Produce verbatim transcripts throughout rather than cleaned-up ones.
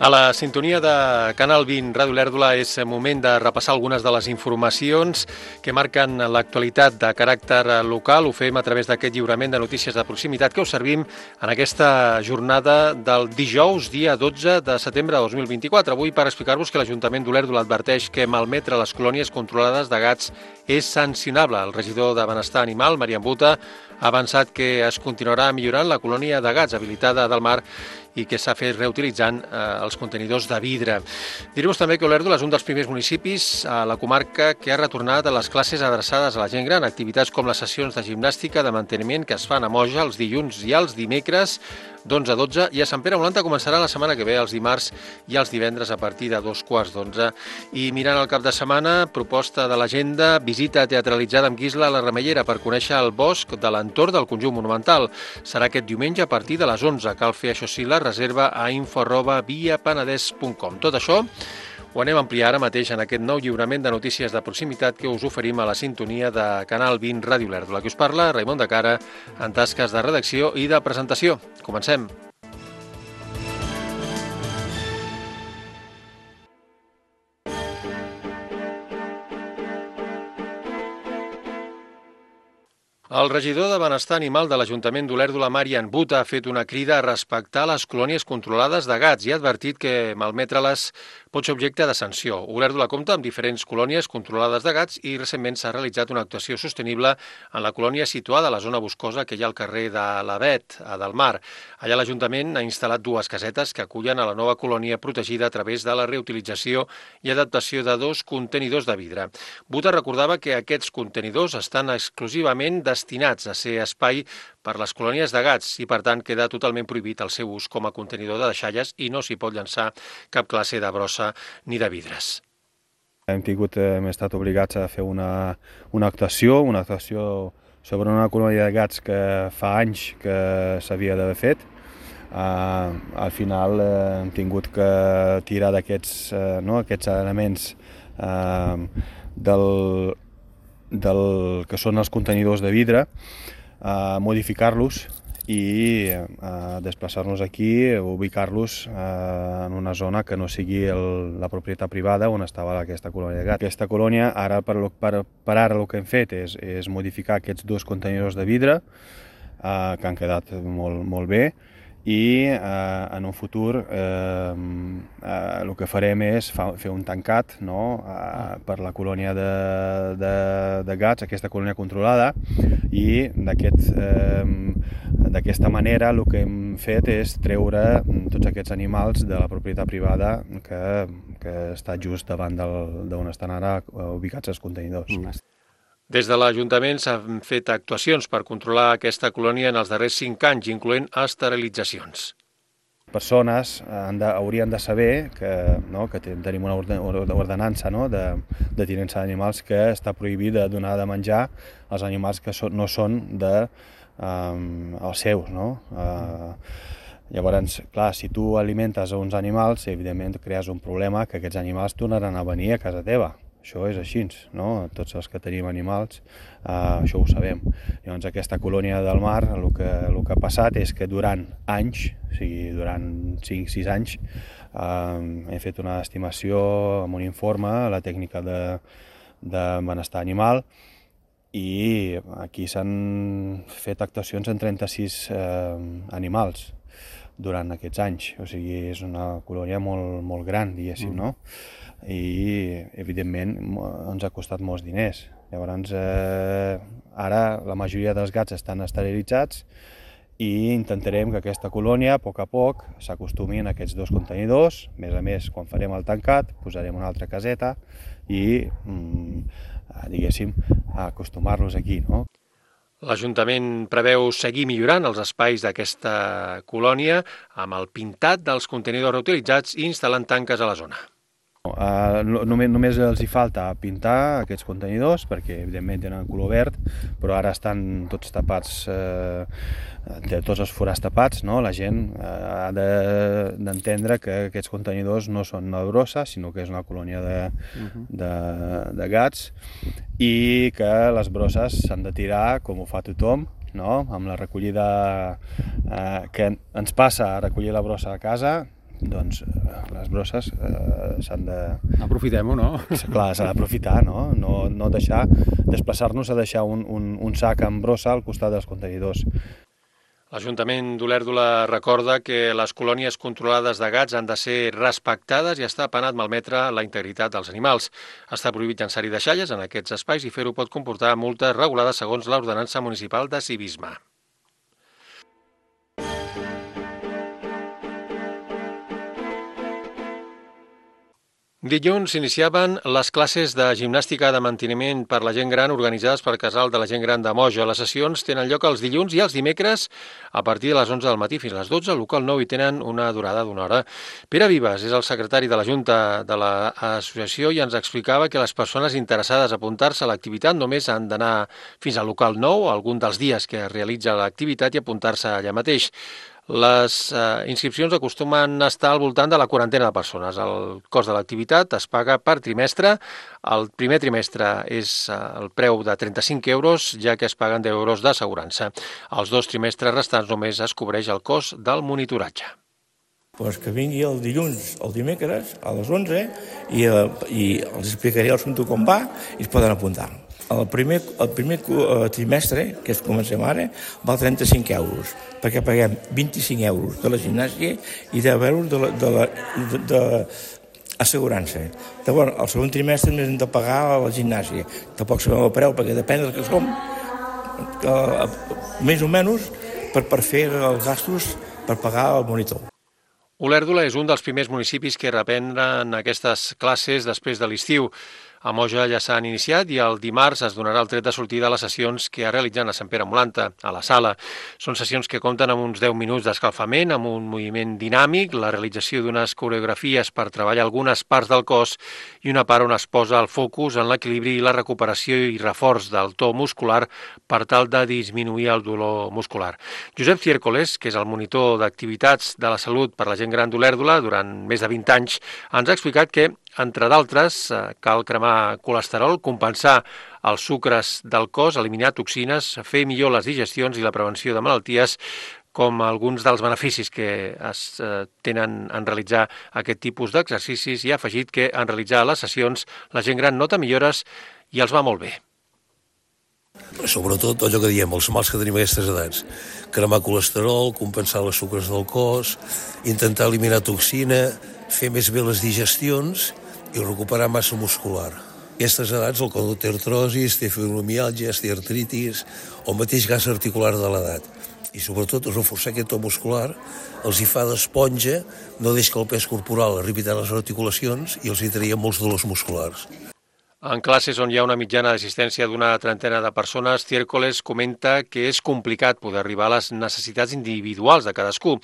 A la sintonia de Canal vint Ràdio Olèrdola és moment de repassar algunes de les informacions que marquen l'actualitat de caràcter local. Ho fem a través d'aquest lliurament de notícies de proximitat que us servim en aquesta jornada del dijous, dia dotze de setembre de dos mil vint-i-quatre. Avui per explicar-vos que l'Ajuntament d'Olèrdola adverteix que malmetre les colònies controlades de gats és sancionable. El regidor de Benestar Animal, Marian Buta, ha avançat que es continuarà millorant la colònia de gats habilitada del mar i que s'ha fet reutilitzant eh, els contenidors de vidre. Diré-vos també que Olèrdola és un dels primers municipis a la comarca que ha retornat a les classes adreçades a la gent gran, activitats com les sessions de gimnàstica de manteniment que es fan a Moja els dilluns i els dimecres d'onze a dotze, i a Sant Pere Olanta començarà la setmana que ve, els dimarts i els divendres a partir de dos quarts d'onze. I mirant el cap de setmana, proposta de l'agenda, visita teatralitzada amb Guisla a la Remellera per conèixer el bosc de l'entorn del conjunt monumental. Serà aquest diumenge a partir de les onze. Cal fer, això sí, la reserva a info arroba via penedès punt com. Tot això ho anem a ampliar ara mateix en aquest nou lliurament de notícies de proximitat que us oferim a la sintonia de Canal vint Ràdio Olèrdola. Que us parla Raimon de Cara en tasques de redacció i de presentació. Comencem. El regidor de Benestar Animal de l'Ajuntament d'Olèrdola, Marian Buta, ha fet una crida a respectar les colònies controlades de gats i ha advertit que malmetre-les pot ser objecte de sanció. Olèrdola compta amb diferents colònies controlades de gats i recentment s'ha realitzat una actuació sostenible en la colònia situada a la zona boscosa que hi ha al carrer de l'Avet, a Delmar. Allà l'Ajuntament ha instal·lat dues casetes que acullen a la nova colònia protegida a través de la reutilització i adaptació de dos contenidors de vidre. Buta recordava que aquests contenidors estan exclusivament destinats a ser espai per les colònies de gats i, per tant, queda totalment prohibit el seu ús com a contenidor de deixalles i no s'hi pot llançar cap classe de brossa ni de vidres. Hem tingut, hem estat obligats a fer una, una actuació, una actuació sobre una colònia de gats que fa anys que s'havia d'haver fet. Uh, al final uh, hem tingut que tirar d'aquests uh, no, aquests elements uh, del, del que són els contenidors de vidre, Uh, modificar-los i uh, desplaçar-nos aquí, ubicar-los uh, en una zona que no sigui el, la propietat privada on estava aquesta colònia de gats. Aquesta colònia, ara per, per, per ara el que hem fet és, és modificar aquests dos contenidors de vidre uh, que han quedat molt, molt bé, i eh, en un futur eh, eh, el que farem és fa, fer un tancat, no, eh, per la colònia de, de, de gats, aquesta colònia controlada, i d'aquest, eh, d'aquesta manera el que hem fet és treure tots aquests animals de la propietat privada que, que està just davant d'on estan ara ubicats els contenidors. Mm. Des de l'Ajuntament s'han fet actuacions per controlar aquesta colònia en els darrers cinc anys, incloent esterilitzacions. Persones han de, haurien de saber que, no, que tenim una ordenança, no, de, de tinença d'animals que està prohibit de donar de menjar als animals que so, no són de, um, els seus. No? Uh, llavors, clar, si tu alimentes uns animals, evidentment crees un problema que aquests animals tornaran a venir a casa teva. Això és així, no? Tots els que tenim animals, eh, això ho sabem. Llavors, aquesta colònia del mar, el que, el que ha passat és que durant anys, o sigui, durant cinc sis anys, eh, hem fet una estimació amb un informe a la tècnica de, de benestar animal, i aquí s'han fet actuacions en trenta-sis eh, animals durant aquests anys. O sigui, és una colònia molt, molt gran, diguéssim, no? I evidentment ens ha costat molts diners. Llavors, eh, ara la majoria dels gats estan esterilitzats i intentarem que aquesta colònia, a poc a poc, s'acostumi a aquests dos contenidors. A més a més, quan farem el tancat, posarem una altra caseta i, mm, diguéssim, acostumar-los aquí, no? L'Ajuntament preveu seguir millorant els espais d'aquesta colònia amb el pintat dels contenidors reutilitzats i instal·lant tanques a la zona. Uh, només, només els hi falta pintar aquests contenidors perquè evidentment tenen color verd, però ara estan tots tapats, eh, tots els forats tapats, no? La gent eh, ha d'entendre de, que aquests contenidors no són una brossa, sinó que és una colònia de, uh-huh. de, de gats, i que les brosses s'han de tirar com ho fa tothom, no? Amb la recollida eh, que ens passa a recollir la brossa a casa, doncs les brosses eh, s'han de... Aprofitem-ho, no? Clar, s'ha d'aprofitar, no? No, no deixar, desplaçar-nos a deixar un, un, un sac amb brossa al costat dels contenidors. L'Ajuntament d'Olèrdola recorda que les colònies controlades de gats han de ser respectades i està penat malmetre la integritat dels animals. Està prohibit llançar-hi deixalles en aquests espais i fer-ho pot comportar multes regulades segons l'ordenança municipal de civisme. Dilluns s'iniciaven les classes de gimnàstica de manteniment per la gent gran organitzades per Casal de la Gent Gran de Moja. Les sessions tenen lloc els dilluns i els dimecres a partir de les onze del matí fins a les dotze al local nou i tenen una durada d'una hora. Pere Vives és el secretari de la Junta de l'associació i ens explicava que les persones interessades a apuntar-se a l'activitat només han d'anar fins al local nou algun dels dies que es realitza l'activitat i apuntar-se allà mateix. Les eh, inscripcions acostumen a estar al voltant de la quarantena de persones. El cost de l'activitat es paga per trimestre. El primer trimestre és eh, el preu de trenta-cinc euros, ja que es paguen deu euros d'assegurança. Els dos trimestres restants només es cobreix el cost del monitoratge. Pues que vingui el dilluns, el dimecres, a les onze, i, eh, i els explicaré el assumpte com va i es poden apuntar. El primer, el primer trimestre, que es comencem ara, val trenta-cinc euros, perquè paguem vint-i-cinc euros de la gimnàsia i deu euros de la, de la, de, de assegurança. Llavors, el segon trimestre més hem de pagar a la gimnàsia. Tampoc sabem el preu, perquè depèn del que som, eh, més o menys, per, per fer els gastos per pagar el monitor. Olèrdola és un dels primers municipis que reprenen aquestes classes després de l'estiu. A Moja ja s'han iniciat i el dimarts es donarà el tret de sortida a les sessions que es realitzen a Sant Pere Molanta, a la sala. Són sessions que compten amb uns deu minuts d'escalfament, amb un moviment dinàmic, la realització d'unes coreografies per treballar algunes parts del cos i una part on es posa el focus en l'equilibri i la recuperació i reforç del to muscular per tal de disminuir el dolor muscular. Josep Ciércoles, que és el monitor d'activitats de la salut per la gent gran d'Olèrdola durant més de vint anys, ens ha explicat que entre d'altres, cal cremar colesterol, compensar els sucres del cos, eliminar toxines, fer millor les digestions i la prevenció de malalties, com alguns dels beneficis que es tenen en realitzar aquest tipus d'exercicis, i ha afegit que en realitzar les sessions la gent gran nota millores i els va molt bé. Sobretot allò que diem, els mals que tenim a aquestes edats. Cremar colesterol, compensar les sucres del cos, intentar eliminar toxina, fer més bé les digestions i recuperar massa muscular. A aquestes edats el còdol té artrosis, té fibromiàlgia, té artritis o mateix gas articular de l'edat. I sobretot reforçar aquest to muscular els hi fa d'esponja, no deixa que el pes corporal arribi tant a les articulacions i els hi traia molts dolors musculars. En classes on hi ha una mitjana d'assistència d'una trentena de persones, Ciércoles comenta que és complicat poder arribar a les necessitats individuals de cadascú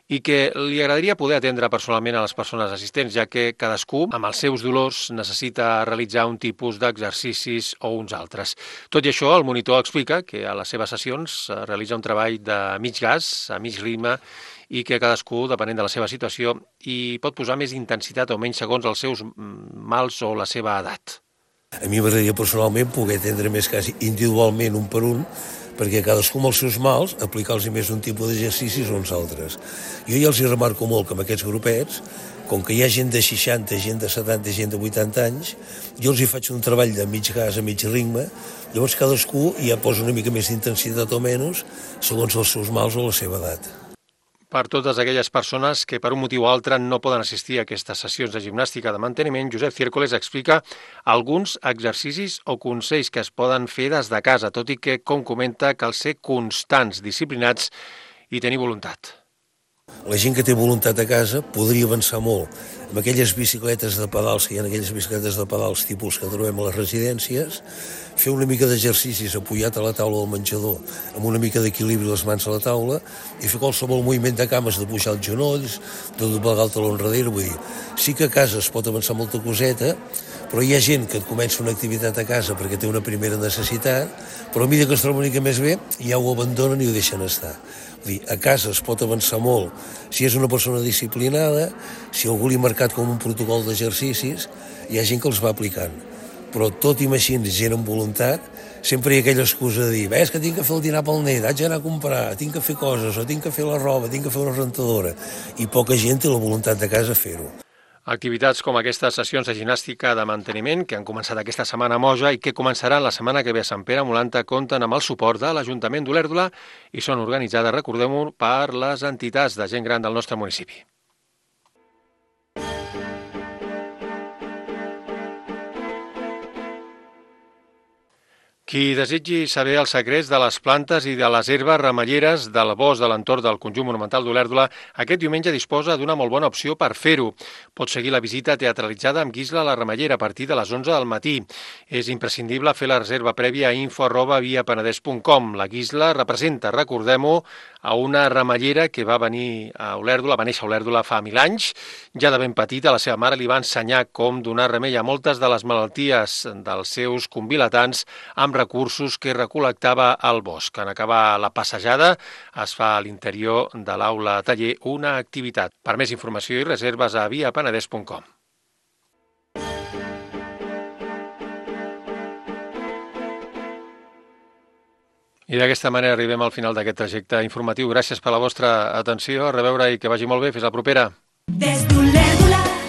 i que li agradaria poder atendre personalment a les persones assistents, ja que cadascú, amb els seus dolors, necessita realitzar un tipus d'exercicis o uns altres. Tot i això, el monitor explica que a les seves sessions realitza un treball de mig gas, a mig ritme, i que cadascú, depenent de la seva situació, hi pot posar més intensitat o menys segons els seus mals o la seva edat. A mi m'agradaria personalment poder atendre més quasi individualment un per un, perquè cadascú amb els seus mals aplicar-los més un tipus d'exercicis o uns altres. Jo ja els hi remarco molt que amb aquests grupets, com que hi ha gent de seixanta, gent de setanta, gent de vuitanta anys, jo els hi faig un treball de mig gas a mig ritme, llavors cadascú ja posa una mica més d'intensitat o menys segons els seus mals o la seva edat. Per totes aquelles persones que per un motiu o altre no poden assistir a aquestes sessions de gimnàstica de manteniment, Josep Ciércoles explica alguns exercicis o consells que es poden fer des de casa, tot i que, com comenta, cal ser constants, disciplinats i tenir voluntat. La gent que té voluntat a casa podria avançar molt amb aquelles bicicletes de pedals, que hi ha aquelles bicicletes de pedals tipus que trobem a les residències, fer una mica d'exercicis apoyat a la taula del menjador, amb una mica d'equilibri les mans a la taula, i fer qualsevol moviment de cames, de pujar els genolls, de doblegar el taló enrere. Vull dir, sí que a casa es pot avançar molta coseta, però hi ha gent que comença una activitat a casa perquè té una primera necessitat, però a mesura que es troba una mica més bé, ja ho abandonen i ho deixen estar. Vull dir, a casa es pot avançar molt si és una persona disciplinada, si algú li ha marcat com un protocol d'exercicis, hi ha gent que els va aplicant. Però tot i així, gent amb voluntat, sempre hi ha aquella excusa de dir, ves que tinc que fer el dinar pel net, haig d'anar a comprar, tinc que fer coses, o tinc que fer la roba, tinc que fer una rentadora, i poca gent té la voluntat de casa fer-ho. Activitats com aquestes sessions de gimnàstica de manteniment que han començat aquesta setmana a Moja i que començaran la setmana que ve a Sant Pere Molanta compten amb el suport de l'Ajuntament d'Olèrdola i són organitzades, recordem-ho, per les entitats de gent gran del nostre municipi. Qui desitgi saber els secrets de les plantes i de les herbes remelleres del bosc de l'entorn del conjunt monumental d'Olèrdola, aquest diumenge disposa d'una molt bona opció per fer-ho. Pot seguir la visita teatralitzada amb Guisla la Remellera a partir de les onze del matí. És imprescindible fer la reserva prèvia a info arroba via penedès punt com. La Guisla representa, recordem-ho, a una remellera que va venir a Olèrdola, va néixer a Olèrdola fa mil anys. Ja de ben petita, la seva mare li va ensenyar com donar remei a moltes de les malalties dels seus convilatants amb recursos que recol·lectava al bosc. En acabar la passejada es fa a l'interior de l'aula taller una activitat. Per més informació i reserves a via penedès punt com. I d'aquesta manera arribem al final d'aquest trajecte informatiu. Gràcies per la vostra atenció, a reveure i que vagi molt bé. Fins la propera. Des d'Olèrdola.